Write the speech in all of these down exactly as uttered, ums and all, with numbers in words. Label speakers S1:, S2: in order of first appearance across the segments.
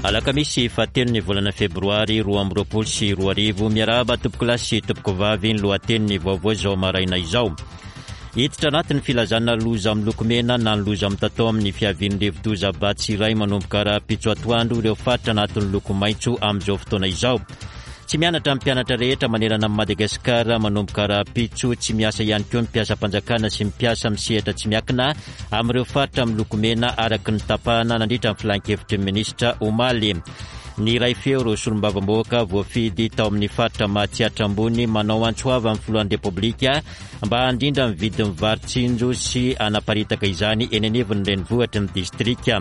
S1: Alakamisy fahatelo ny volana febroary roa amby roapolo sy roa arivo. Miarahaba tompokolahy sy tompokovavy, ny lohatenin'ny vaovao izao maraina izao. Hiditra anatin'ny filazana loza miloko mena na ny loza mitatao amin'ny fiavian'ny rivodoza Batsirai manomboka rahampitso atoandro ireo faritra anatin'ny loko maitso amin'izao fotoana izao. Tsy mianatra ny mpianatra rehetra manerana amin'i Madagasikara manomboka rahampitso. Tsy miasa ihany koa ny mpiasam-panjakana sy ny mpiasa amin'ny sehatra tsy miankina amin'ireo faritra miloko mena araka ny tapahana nandritra ny filan-kevitry ny minisitra omaly. Ny iray feo ireo solombavambahoaka voafidy tao amin'ny faritra Matsiatra Ambony manao antso avo amin'ny filohan'ny Repoblika mba handrindra ny vidin'ny vary tsinjo sy hanaparitaka izany eny anivon'ny renivohitry ny distrika.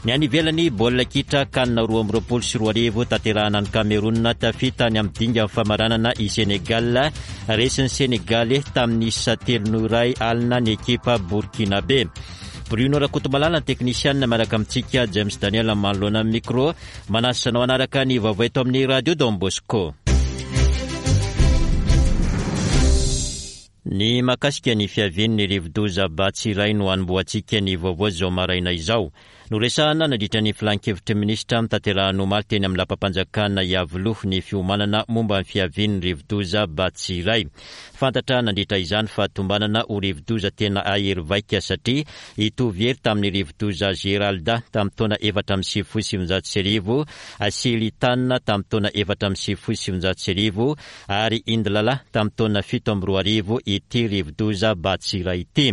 S1: Ny any ivelany, baolina kitra CAN roa amby roapolo sy roa arivo tanterahana any Cameroun, tafita any amin'ny dingan'ny famaranana i Sénégal. Resin'ny Sénégalais tamin'ny isa telo noho iray alina ny ekipa Burkinabé. Bruno Rakotomalala ny teknisianina miaraka amintsika, James Daniel manoloana ny micro. Manasa anao hanaraka ny vaovao eto amin'ny Radio Don Bosco. Ny mahakasika ny fiavian'ny rivodoza Batsirai no hanombohantsika ny vaovao izao maraina izao. Noresahana nandritra ny filan-kevitry ny minisitra notanterahina omaly teny amin'ny lapam-panjakana Iavoloha ny fiomanana momba ny fiavian'ny rivodoza Batsirai. Fantatra nandritra izany fa tombanana ho rivodoza tena hahery vaika satria hitovy hery tamin'ny rivodoza Geralda tamin'ny taona efatra amby sivifolo sy sivinjato sy arivo, Silitan tamin'ny taona efatra amby sivifolo sy sivinjato sy arivo ary Indlala tamin'ny taona fito amby roa arivo ity rivodoza Batsirai ity.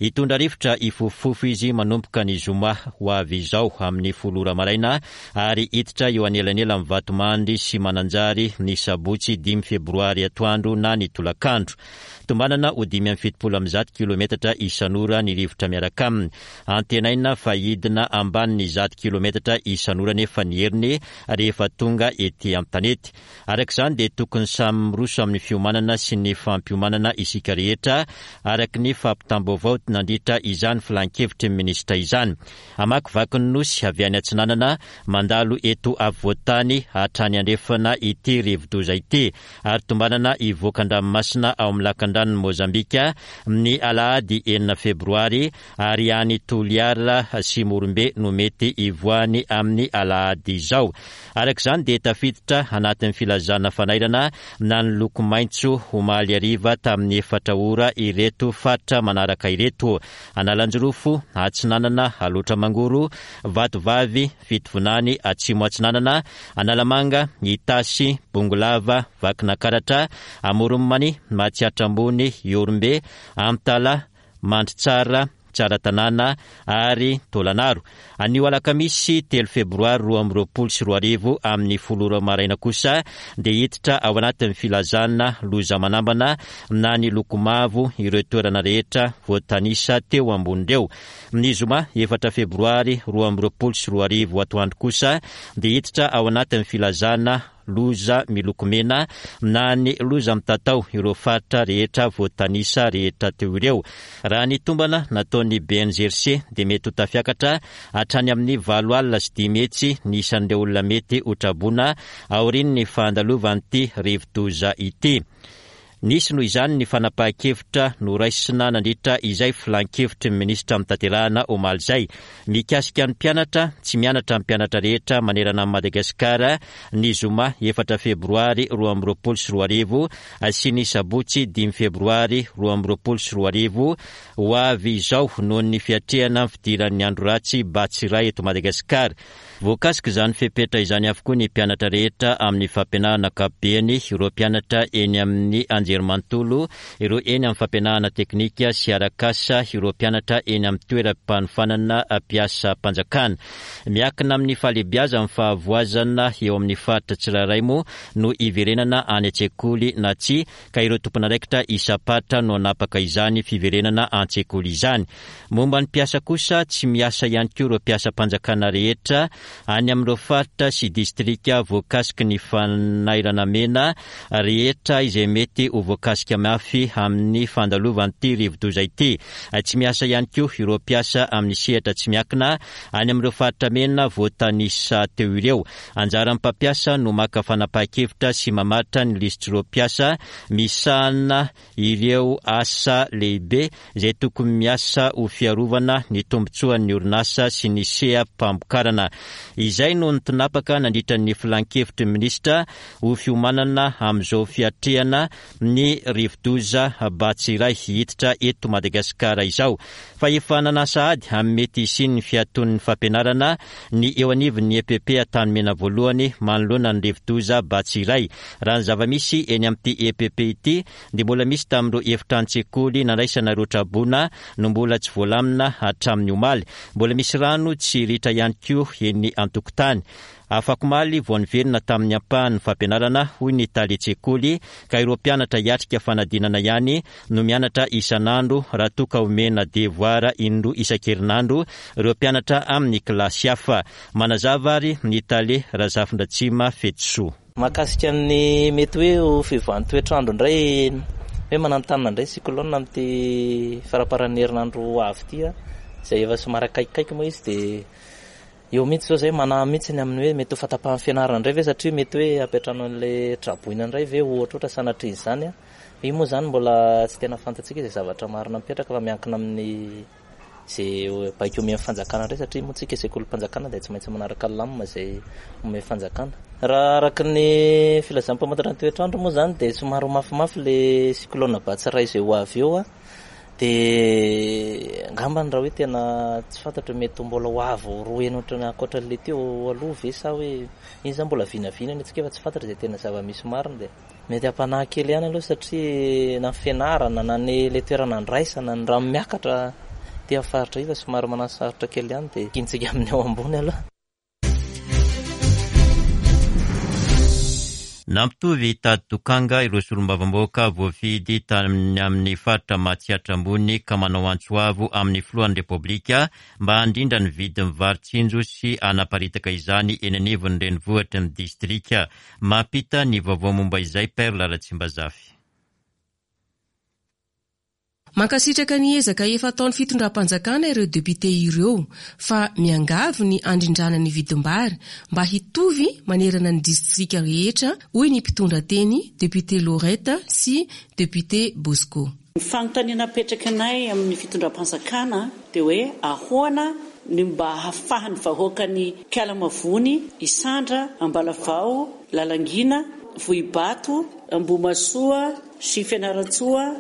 S1: Hitondra rivotra hifofofofo izy manomboka ny zoma ho avy izao amin'ny folo ora maraina ary hiditra eo anelanelan'ny Vatomandry sy Mananjary ny sabotsy dimy febroary atoandro na ny tolakandro. Tombanana ho dimy amby fitopolo amby zato kilometatra isan'ora ny rivotra miaraka aminy. Antenaina fa hidina ambanin'ny zato kilometatra isan'ora nefa ny heriny rehefa tonga ety an-tanety. Araka izany dia tokony samy miroso amin'ny fiomanana sy ny fampiomanana isika rehetra araka ny fampitam-baovao nandritra izany filan-kevitry ny minisitra izany. Hamakivaky ny nosy avy any atsinanana mandalo eto afovoan-tany hatrany andrefana ity rivodoza ity ary tombanana hivoaka an-dranomasina ao amin'ny lakandranon'i Mozambika ny alahady enina febroary ary any Toliara sy Morombe no mety hivoahany amin'ny alahady izao. Araka izany dia tafiditra anatin'ny filazana fanairana na ny loko maitso omaly hariva tamin'ny efatra ora ireto faritra manaraka ireto: Analanjirofo, Atsinanana, Alaotra Mangoro, Vatovavy, Fitovinany, Atsimo Atsinanana, Analamanga, Itasy, Bongolava, Vakinakaratra, Amoron'i Matsiatra Ambony, Ihorombe, Antala, Mandritsara, Tsaratanàna ary Taolagnaro. Anio alakamisy telo febroary roa amby roapolo sy roa arivo amin'ny folo ora maraina kosa dia hiditra ao anatin'ny filazana loza manambana na ny loko mavo ireo toerana rehetra voatanisa teo ambony ireo. Ny zoma efatra febroary roa amby roapolo sy roa arivo atoandro kosa dia hiditra ao anatin'ny filazana loza miloko mena na ny loza mitatao ireo faritra rehetra voatanisa rehetra teo ireo. Raha ny tombana nataon'ny B N G R C dia mety ho tafiakatra hatrany amin'ny valo alina sy dimy hetsy ny isan'ireo olona mety ho traboina aorian'ny fandalovan'ity rivodoza ity. Nisy noho izany ny fanapahan-kevitra noraisina nandritra izay filan-kevitry ny minisitra notanterahina omaly izay. Mikasika ny mpianatra, tsy mianatra ny mpianatra rehetra manerana an'i Madagasikara ny zoma efatra febroary roa amby roapolo sy roa arivo sy ny sabotsy dimy febroary roa amby roapolo sy roa arivo ho avy izao noho ny fiatrehana ny fidiran'ny andro ratsy Batsirai eto Madagasikara. Voakasika izany fepetra izany avokoa ny mpianatra rehetra amin'ny fampianarana ankapobeny, ireo mpianatra eny amin'ny anjerimanontolo, ireo eny amin'ny fampianarana teknika sy arak'asa, ireo mpianatra eny amin'ny toeram-panofanana mpiasam-panjakana. Miankina amin'ny fahalehibiazan'ny fahavoazana eo amin'ny faritra tsirairay moa no hiverenana any an-tsekoly na tsia, ka ireo tompon'andraikitra isam-paritra no hanapaka izany fiverenana an-tsekoly izany. Momba ny mpiasa kosa, tsy miasa ihany koa ireo mpiasam-panjakana rehetra any amin'ireo faritra sy distrika voakasiky ny fanairana mena rehetra izay mety ho ho voakasika mafy amin'ny fandalovan'ity rivodoza ity. Tsy miasa ihany koa ireo mpiasa amin'ny sehatra tsy miankina any amin'ireo faritra mena voatanisa teo ireo. Anjaran'ny mpampiasa no maka fanapahan-kevitra sy mamaritra ny lisitr'ireo mpiasa misahana ireo asa lehibe izay tokony miasa ho fiarovana ny tombontsoan'ny orinasa sy ny seha-pamokarana. Izay no nitinapaka nandritra ny filan-kevitry ny minisitra ho fiomanana amin'izao fiatrehana ny rivodoza Batsirai hiditra eto Madagasikara izao. Fa efa nanasa ady amin'ny mety hisian'ny fiaton'ny fampianarana ny eo anivon'ny E P P Antanimena voalohany manoloana ny rivodoza Batsirai. Raha ny zava-misy eny amin'ity E P P ity dia mbola misy tamin'ireo efitrano-tsekoly nandraisana ireo traboina no mbola tsy voalamina hatramin'ny omaly. Mbola misy rano tsy ritra ihany koa eny an-tokotany. Afakomaly vao niverina tamin'ny ampahan'ny fampianarana, hoy ny talen-tsekoly, ka ireo mpianatra hiatrika fanadinana ihany no mianatra isan'andro, raha toa ka omena devoir indroa isan-kerinandro ireo mpianatra amin'ny kilasy hafa. Manazava ary ny tale, Razafindratsima Fetisoa.
S2: Mahakasika ny mety hoe ho fiovan'ny toetrandro indray, hoe mananontanona indray cyclone amin'ity faramparan'ny herinandro avy ity a, izay efa somary akaikikaiky moa izy, dia eo mihitsy zao zay manahy mihitsy ny amin'ny hoe mety ho fahatapahan'ny fianarana indray ve, satria mety hoe ampiantrano an'ilay traboina indray ve, ohatra ohatra sanatria izany a. Io moa zany mbola tsy tena fantatsika izay zavatra marina mipetraka, fa miankina amin'ny zay baiko omen'ny fanjakana indray, satria moa tsika sekolim-panjakana dia tsy maintsy manaraka lamina izay omen'ny fanjakana. Raha araka ny filazan'ny mpamantatra ny toetrandro moa zany dia somary ho mafimafy le cyclone Batsirai izay ho avy eo a, dia angambany raha hoe tena tsy fantatra, mety mbola ho avo roa heny ohatrany ankoatran'le teo aloha ve, sa hoe iny zany mbola vinavina ny antsika, fa tsy fantatra izay tena zava-misy marina. Dia mety hampanahy kely ihany aloha, satria na ny fianarana na ny le toerana andraisana ny rano miakatra ty amin'ny faritra io fa somary manasarotra kely ihany, dia kintsika amin'ny ao ambony aloha.
S1: Nampitovy tady dokanga ireo solombavambahoaka voafidy tany amin'ny faritra Matsiatra Ambony ka manao antso avo amin'ny filohan'ny Repoblika mba handrindra ny vidin'ny vary tsinjo sy hanaparitaka izany eny anivon'ny renivohitry ny distrika. Mampita ny vaovao momba izay Perle Ratsimbazafy.
S3: Mankasitraka ny ezaka efa ataon'ny fitondram-panjakana ireo député ireo, fa miangavy ny andrindrana ny vidim-bary mba hitovy manerana ny distrika rehetra, hoy ny mpitondra teny, député Lorette sy député Bosco.
S4: Ny fanontaniana apetraka anay amin'ny fitondram-panjakana dia hoe ahoana ny mba hahafahan'ny vahoaka ny Ikalamavony, Isandra, Ambalavao, Lalangina, Vohibato, Ambohimasoa sy Fianarantsoa.